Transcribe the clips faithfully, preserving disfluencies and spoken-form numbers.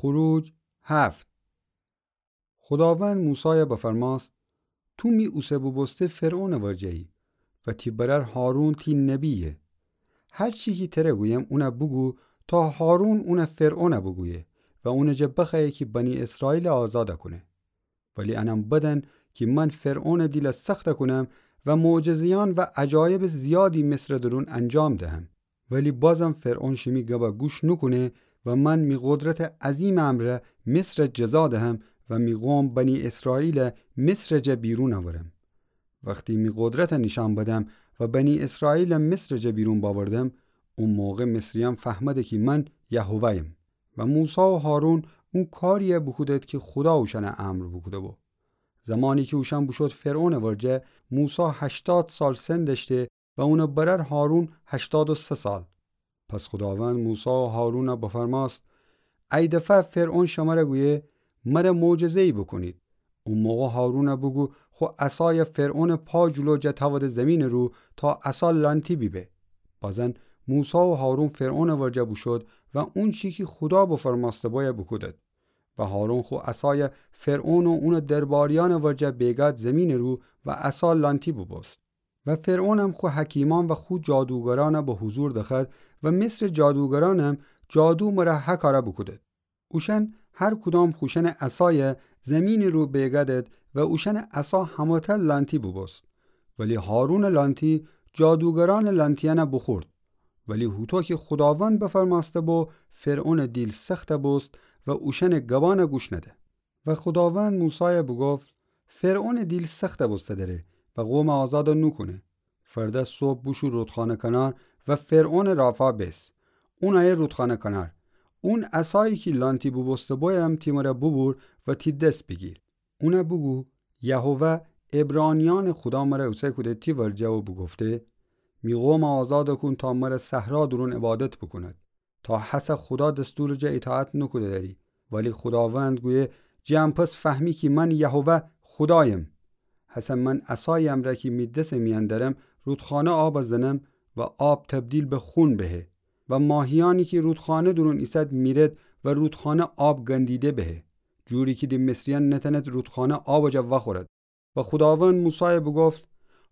خروج هفت. خوداوند موسایَ بفرماست: تو می اوسه بوبوسته فرعونٚ ورجه‌یی و تی برأر هارون تی نبی‌یه. هر چی کی تره گویم اونَ بوگو، تا هارون اونَ فرعونَ بوگویه و اونٚ جا بخوأیه کی بنی اسرائیلَ آزادَ کونه. ولی انم بدأن کی من فرعونٚ دیلَ سختَ کونم و معجزه‌یأن و عجایبٚ زیادی مصرٚ دورون انجام دهم. ولی بازم فرعون شیمی گبَ گوش نوکونه و من می قدرتٚ عظیمٚ امرأ مصرَ جزا دهم و می قوم بنی اسرائیلَ مصرٚ جا بیرون اورم. وختی می قدرتَ نیشأن بدم و بنی اسرائیلَ مصرٚ جا بیرون باوردم، او موقع مصریأن فهمده کی من یهوه‌یم. و موسی و هارون او کاریَ بوکودد کی خودا اوشأنَ امر بوکوده‌بو. زمانی کی اوشأن بوشود فرعونٚ ورجه، موسی هشتاد سال سن دأشته و اونٚ برأر هارون هشتاد و سه سال. پس خوداوند موسی و هارونَ بفرماست: ای دفعه فرعون شمرَ گویه مرَ معجزه‌یی بوکونید. او موقع هارونَ بوگو خو عصایَ فرعونٚ پا جلو جا تأوده زیمینٚ رو تا عصا لأنتی بیبه. بازن موسی و هارون فرعونٚ ورجه بوشود و اونچی کی خودا بفرمأسته‌بویَ بوکودد. و هارون خو عصایَ فرعون و اونٚ درباریأنٚ ورجه بیگاد زیمینٚ رو و عصا لأنتی بوبوست. و فرعونم خو حکیمأن و خو جادوگرأنَ به حضور دخوأد و مصرٚ جادوگرأنم جادو مرَ هکارَ بوکودد. اوشأن هر کدام خوشأنٚ عصایَ زیمینٚ رو بیگدد و اوشأنٚ عصا همه‌تأ لأنتی بوبوست. ولی هارونٚ لأنتی جادوگرأنٚ لأنتیأنَ بوخورد. ولی هوطو کی خوداوند بفرمأسته‌بو، فرعونٚ دیل سختَ بوست و اوشأنٚ گبأنَ گوش نده. و خوداوند موسایَ بوگفت: فرعونٚ دیل سختَ بوسته دره و قومَ آزادَ نوکونه. فردا صبح بوشو رودخانه کنار و فرعونٚ رافا بیس. اونَ ایه رودخانه کنار. اون عصایی کی لأنتی بوبوسته‌بویم تی مرَ بوبور و تی دس بیگیر. اونَ بوگو: یهوه، عبرانیأنٚ خودا مرَ اوسه کوده تی ورجه و بوگفته: می قومَ آزادَ کون تا مرَ صحرا دورون عبادت بوکوند. تا هسه خودا دستورٚ جا ایطاعت نوکوده دأری. ولی خوداوند گویه: جٚه ان پس فهمی کی من یهوه خودایم. هسه من عصایٚ امرأ کی می دسٚ میأن دأرم، رودخانه آبَ زنم و آب تبدیل به خون بهه. و ماهیأنی کی رودخانه دورون ایسد میرد و رودخانه آب گندیده بهه. جوری کی د مصریأن نتأند رودخانه آبٚ جا وأخورد. و خوداوند موسایَ بوگفت: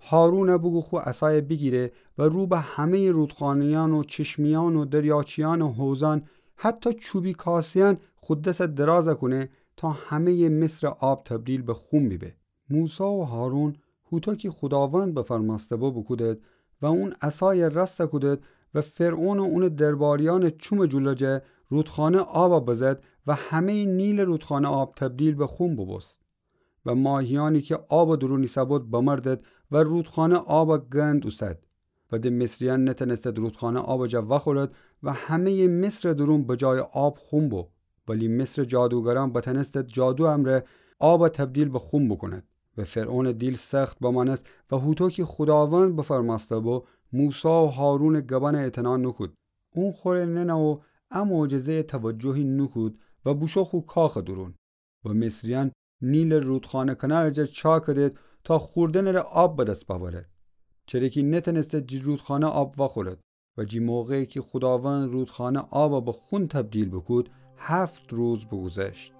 هارونَ بوگو خو عصایَ بیگیره و رو به همه‌یٚ رودخانه‌یأن و چشمه‌یأن و دریاچه‌یأنٚ حوضأن، حتی چوبی کاسه‌یأن خو دسَ درازَ کونه تا همه‌یٚ مصرٚ آب تبدیل به خون بیبه. موسی و هارون هوطو کی خوداوند بفرمأسته‌بو بوکودد و اون عصایَ راستَ کودد و فرعون و اونٚ درباریأنٚ چومٚ جلو جا رودخانه آبَ بزد و همه‌یٚ نیلٚ رودخانه آب تبدیل به خون بوبوست. و ماهیأنی کی آبٚ دورون ایسه‌بود بمردد و رودخانه آبَ گند اوسد. و د مصریأن نتأنستد رودخانه آبٚ جا وأخورد و همه‌یٚ مصرٚ دورون به جایٚ آب خون بو. ولی مصرٚ جادوگرأن بتأنستد جادویٚ امرأ آبَ تبدیل به خون بوکوند. و فرعونٚ دیل سخت بمأنست و هوطو کی خوداوند بفرمأسته‌بو، موسی و هارونٚ گبأنَ اعتنا نوکود. اون خوره ننه و ا معجزه‌یَ توجهی نوکود و بوشو خو کاخٚ دورون. و مصریأن نیلٚ رودخانه کنارٚ جا چا کدید تا خوردنٚ ره آب به دس بأورد. چره کی نتأنستد جٚه رودخانه آب وأخورد. و جٚه موقعی کی خوداوند رودخانه آبَ به خون تبدیل بوکود، هفت روز بوگوذشت.